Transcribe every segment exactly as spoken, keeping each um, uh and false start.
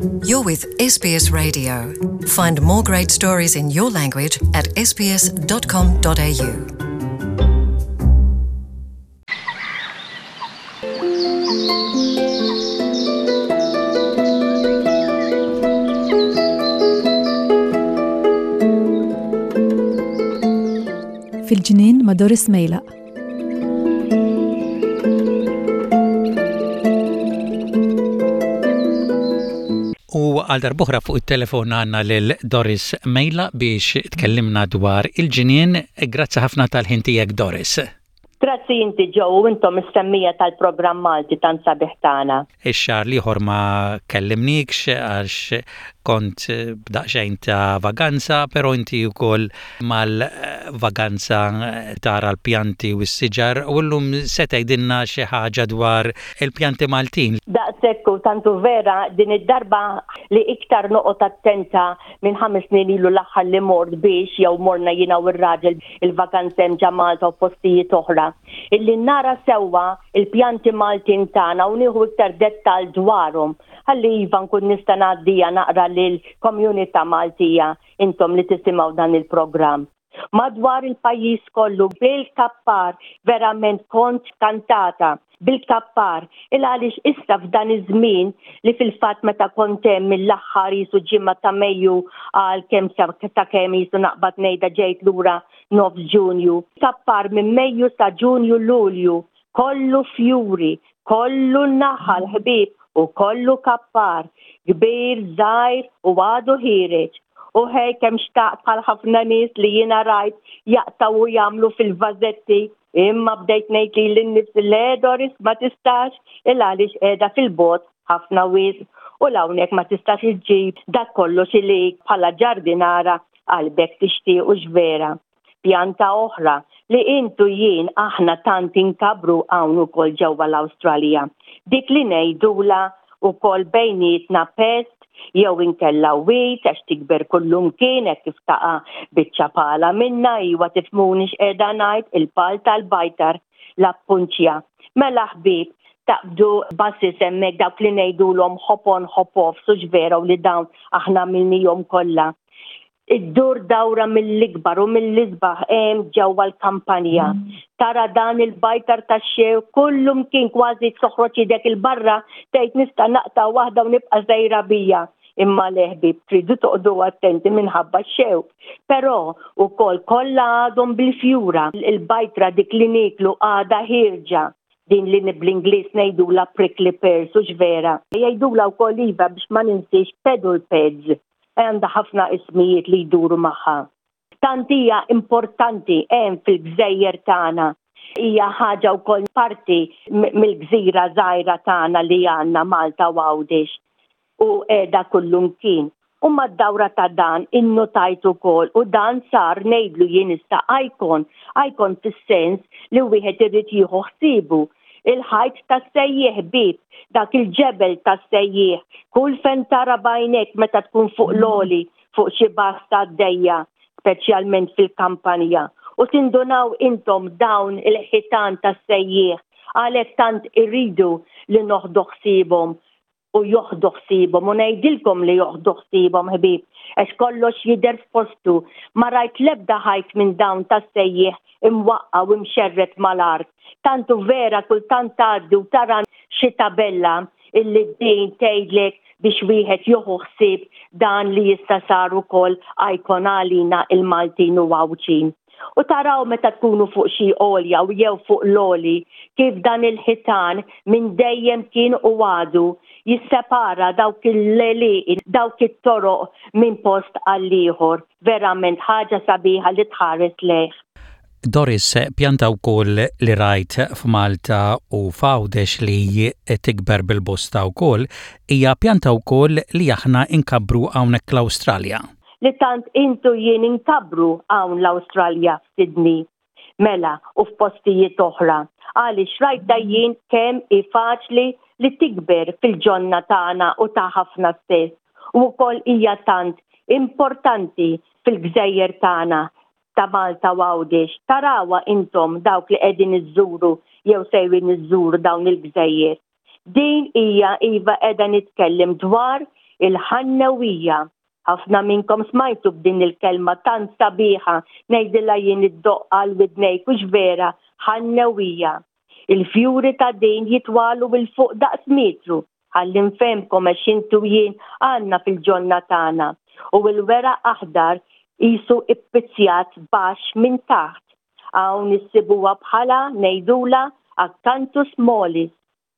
You're with S B S Radio. Find more great stories in your language at S B S dot com dot A U. Fil-ġnien ma' Doris Mejlaq. U għal darb'oħra fuq il-telefon għandna lil Doris Mejlaq biex tkellimna dwar il-ġnien. Grazzi ħafna tal-ħin tiegħek, Doris. Grazzi inti, Joe, u intom is-semmiegħa tal-programm Malti tant sabiħ tagħna. Ix-xahar l-ieħor ma kellimnikx għax kont b'daqsxejn ta' vaganza, però inti wkoll mal-vaganza tara l-pjanti u s-siġar u llum se tgħidilna xi ħaġa dwar il-pjanti Maltin. Daqshekk u tantu vera, din id-darba li iktar noqgħod attenta minn ħames snin ilu l-aħħar li mort biex jew morna jiena u r-raġel il-vaganza hemm ġo Malta u postijiet oħra. Illi nara sewwa il-pjanti Maltin tagħna u nieħu iktar dettal dwarhom. Ħalli iva nkun nista' ngħaddija naqra lil komunità Maltija, intom li tisimgħu dan il-programm. Madwar il-pajjiż kollu bil-kappar, verament kont kantata bil-kappar, il għaliex issa f'dan iż-żmien li fil-fatt meta kont hemm mill-aħħar jisu ġimgħa ta' Mejju għal kemm ta' kemm jisu naqbad ngħidha ġejt lura nofs Ġunju. Kappar minn Mejju sa Ġunju, Lulju, kollu fjuri, kollu naħal, ħbieb, u kollu kappar, kbir, żgħir u għadu ħiereġ. U ħej kemm xtaqt bħal ħafna nies li jiena rajt jaqtaw u jagħmlu fil-vażetti, imma bdejt ngħid lili nnifsi, "Le, Doris, ma tistax, il għaliex qiegħda fil-bogħod ħafna wisq u hawnhekk ma tistax iġġib dak kollox li bħala ġardinara qalbek tixtieq u vera." Pjanta oħra li intu jien aħna tant inkabru hawn ukoll ġewwa l-Awstralja. Dik li ngħidula ukoll bejnietna pest jew inkella weed, għax tikber kullumkien hekk kif taqa' biċċa pala minna, iwa tifhmuni x'qiegħda ngħid, il-pal tal-bajtar, l-opuntia. Mela ħbieb, taqbdu buses hemmhekk, dawk li ngħidulhom hop on hop off, sux vera, u li dawn aħna minnihom kollha. Iddur dawra mill-ikbar u mill-isbaħ hemm ġewwa l-kampanja. Tara dan il-bajtar tax-xew kullum kien, kważi toħroġ idek il-barra tgħid nista' naqta' waħda u nibqa' sejra bija. Imma le, ħbieb, tridu toqgħodu attenti minħabba x-xew. Però ukoll kollha għadhom bil-fjura. Il-bajtra dik li niklu għadha ħierġa, din li bl-Ingliż ngħidula prickly pears, u vera. Jgħidula wkoll, iva, biex ma ninsiex, pedal pads, għandha ħafna ismijiet li jduru magħha. Tant hija importanti hemm fil-gżejjer tagħna. Hija ħaġa wkoll parti mill-gżira żgħira tagħna li għandna Malta u Għawdex u qiegħda kullumkien. U mad-dawra ta' dan innotajt ukoll, u dan sar ngħidlu jien issa icon, icon fis-sens li wieħed irid jieħu ħsiebu, il-ħajt tas-sejjieħ, ħbieb, dak il-ġebel tas-sejjieħ, kull fejn tara b'għajnek meta tkun fuq l-għoli, fuq xi basta għaddejja, speċjalment fil-kampanja. U tindunaw intom dawn il-ħitan tas-sejjieħ, għalhekk tant irridu li noħdu ħsiebhom u joħdu ħsiebhom, u ngħidilkom li joħdu ħsiebhom, ħbieb, għax kollox jidher f'postu. Ma rajt l-ebda ħajt minn dawn tas-sejjieħ imwaqqa u imxerred mal-art. Tantu vera, kultant tgħaddi u tara xi tabella illi din tgħidlek biex wieħed joħu ħsieb dan li jista' sar ukoll icon għalina il-Maltin u Għawdxin. U taraw meta tkunu fuq xi għolja u jew fuq l-għoli kif dan il-ħitan minn dejjem kien u għadu jissepara dawk il-leli, dawk it-toroq minn post għall-ieħor. Verament ħaġa sabiħa li tħares lejh. Doris, pjanta wkoll li rajt f'Malta u f'Għawdex li tikber bil-bosta wkoll, hija pjanta wkoll li aħna inkabru hawnhekk l-Awstralja. Li tant intu jien inkabru hawn l-Awstralja, f'Sydney, mela, u f'postijiet oħra. Għaliex rajta jien kemm hi faċli li tikber fil-ġonna tagħna u ta' ħafna stess. U wkoll hija tant importanti fil-gżejjer tagħna ta' Malta u Għawdex. Tarawha intom dawk li qegħdin iżżuru jew sejrin iżżuru dawn il-gżejjer. Din hija, iva, qiegħda nitkellem dwar Il-ħannewija. Ħafna minnkom smajtu b'din il-kelma tant sabiħa, ngħidilha jien iddoqq għal widnejk, hux vera, ħannewija. Il-fjuri ta' din jitwalu 'l fuq daqs metru, ħalli nfehmkom għax intu jien għandna fil-ġonna tagħna. U l-weraq aħdar qisu ippizzjat baxx minn taħt. Hawn issibuha bħala ngħidula Acanthus mollis.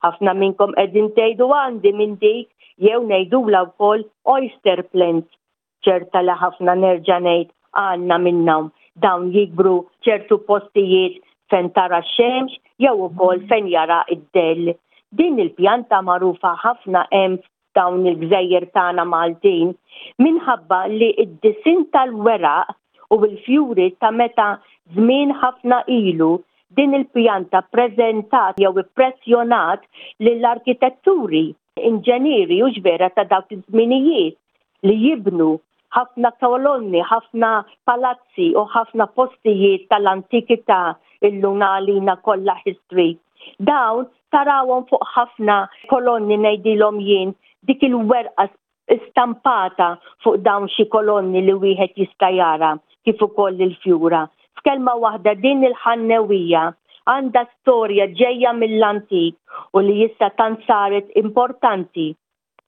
Ħafna minnkom qegħdin tgħidu għandi minn dik, jew ngħidula wkoll oyster plant. Ċerta li ħafna, nerġa' ngħid, għandna minnhom. Dawn jikbru ċertu postijiet fejn tara x-xemx jew ukoll fejn jara id-dell. Din il-pjanta magħrufa ħafna hemm dawn il-gżejjer tagħna Maltin minħabba li id-disinn tal-weraq u l-fjuri ta' meta żmien ħafna ilu din il-pjanta preżentat jew impressjonat lill-arkitetturi, inġenieri u vera ta' dawk iż-żminijiet li jibnu ħafna kolonni, ħafna palazzi u ħafna postijiet tal-antikità, illum għalina kollha history. Dawn tarawhom fuq ħafna kolonni, ngħidilhom jien, dik il-werqa stampata fuq dawn xi kolonni li wieħed jista' jara, kif ukoll il-fjura. F'kelma waħda, din il-ħannewija għandha storja ġejja mill-antik u li issa tant saret importanti.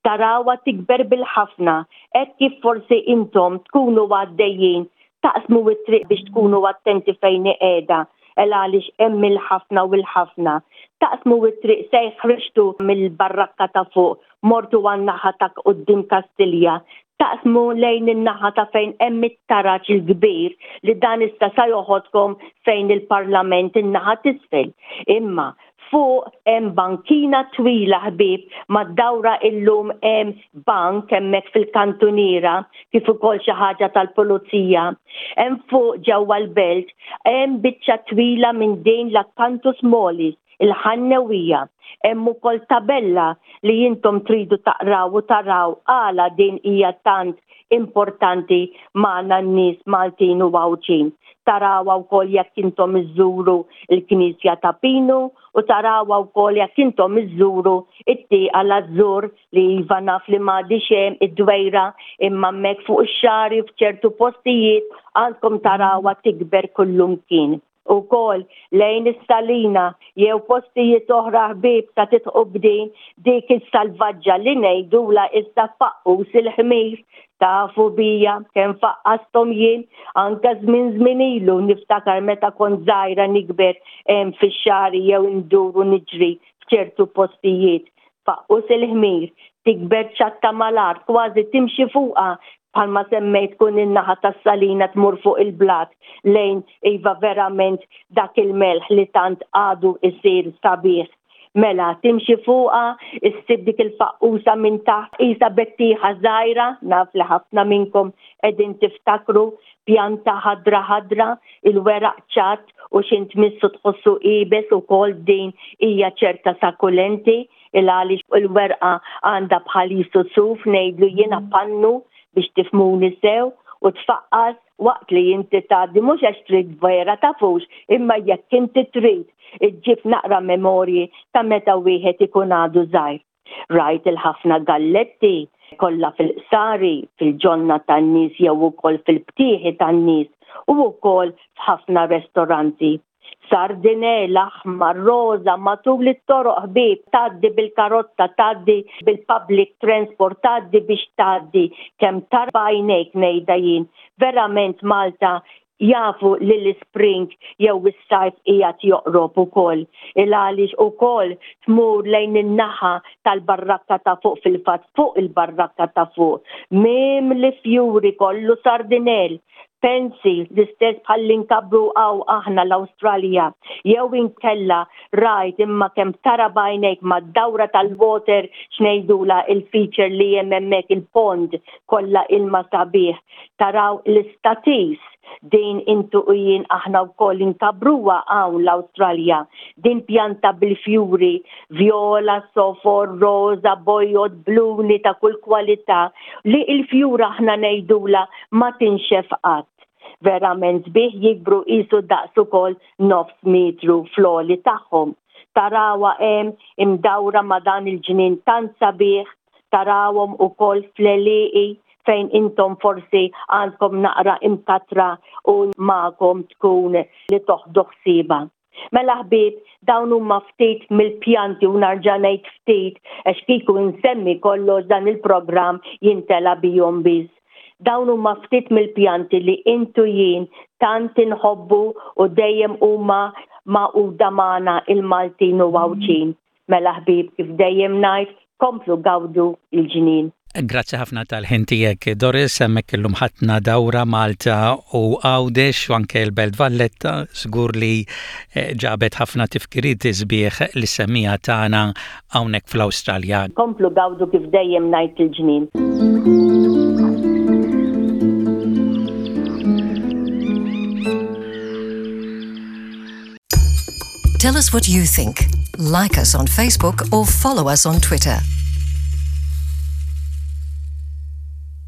Tarawha tikber bil-ħafna, hekk kif forsi intom tkunu għaddejjin taqsmu it-triq biex tkunu attenti fejn qiegħda, el għaliex hemm il-ħafna u l-ħafna. Taqsmu it-triq, sej ħriġtu mill-barrakka ta' fuq, mortu għan-naħa ta' quddiem Kastilja, taqsmu lejn in-naħa ta' fejn hemm it-taraġ il-kbir li dan issa sa joħodkom fejn il-Parlament in-naħa t'isfel. Imma fuq hemm bankina twila, ħbib, mad-dawra. Illum hemm bank hemmhekk fil-kantuniera kif ukoll xi ħaġa tal-pulizija. Hemm fuq ġewwa l-belt hemm biċċa twila minn din l-Acanthus mollis, il-ħannewija. Hemm ukoll tabella li intom tridu taqraw u taraw għala din hija tant importanti magħna n-nies Maltin u Għawdxin. Tarawha wkoll jekk intom iżżuru il-Knisja ta' Pinu u tarawha wkoll jekk intom iżżuru it-tieqa l-Azzur li iva naf li m'għadix hemm id-dwejra, imma hemmhekk fuq ix-xagħri f'ċertu postijiet għandkom tarawha tikber kullumkien. Ukoll lejn is-Salina jew postijiet oħra, ħbieb, ta' titqu b'din dik is-salvaġġa li ngħidula issa faqqus il-ħmir. Tafu bija kemm faqqastom jien anke żmien żmien ilu, niftakar meta kont żgħira nikber hemm fix-xagħri jew nduru niġri f'ċertu postijiet. Faqqus il-ħmir tikber ċatta mal-art, kważi timxi fuqha, bħalma semmejt kun in-naħa tas-Salina tmur fuq il-blat lejn iva verament dak il-melħ li tant għadu isir sabiħ. Mela, timxi fuqha, issib dik il-faqqusa minn taħt, qisha bettieħa żgħira, naf li ħafna minnkom qegħdin tiftakru, pjanta ħadra ħadra, il-weraq ċatt u x'ħin tmissu tħossu iebes ukoll. Din hija ċerta succulenti il għaliex il-werqa għandha bħal suf, ngħidlu jiena pannu biex tifhmuni sew, u tfaqqas waqt li inti tgħaddi, mhux għax trid vera tafux, imma jekk inti trid iġġib naqra memorji ta' meta wieħed ikun għadu żgħir. Rajt il-ħafna galletti kollha fil-qsari, fil-ġonna tan-nies jew ukoll fil-btieħi tan-nies u wkoll f'ħafna restoranti. Sardinella, aħmar, roza, matul it-toroq, ħbieb, tgħaddi bil-karozza, tgħaddi bil-public transport, tgħaddi biex tgħaddi, kemm tara b'għajnejk, ngħidha jien. Verament Malta jafu li l-spring jew is-sajf qiegħed joqrob ukoll. Il għaliex ukoll tmur lejn in-naħa tal-barrakka ta' fuq, fil-fatt fuq il-barrakka ta' fuq. Mimli fjuri, kollu sardinell. Pensi l-istess bħal inkabbru hawn aħna l-Awstralja. Jew inkella rajt imma kemm tara b'għajnejk mad-dawra tal-water, x'ngħidula, il-feature li hemm hemmhekk, il-pond kollha ilma sabiħ. Taraw l-istatis, din intu u jien aħna wkoll inkabbruha hawn l-Awstralja. Din pjanta bil-fjuri, viola, sofor, roza, bojod, bluni ta' kull kwalità li il-fjura aħna ngħidula ma tinxef qatt. Verament sbieħ, jikbru qisu daqs ukoll nofs metru fl-għoli tagħhom. Tarawha hemm imdawra ma' dan il-ġnien tant sabiħ. Tarawhom ukoll fl-għelieqi fejn intom forsi għandkom naqra imkatra u magħkom tkun li toħdu ħsiebha. Mela ħbieb, dawn huma ftit mill-pjanti u nerġa' ngħid ftit għax kieku nsemmi kollox dan il-programm jintela bihom biss. Dawn huma ftit mill-pjanti li intu jien tant inħobbu u dejjem huma magħquda magħna il-Maltin u Għawdxin. Mela ħbieb kif dejjem ngħid, komplu gawdu il-ġnien. Grazzi ħafna tal-ħin tiegħek Doris, hemmhekk illum ħadna dawra Malta u Għawdex u anke l-Belt Valletta, żgur li eh, ġabet ħafna tifkiriet sbieħ lis-semmiegħa tagħna hawnhekk fl-Awstralja. Komplu gawdu kif dejjem ngħid il-ġnien. Tell us what you think. Like us on Facebook or follow us on Twitter.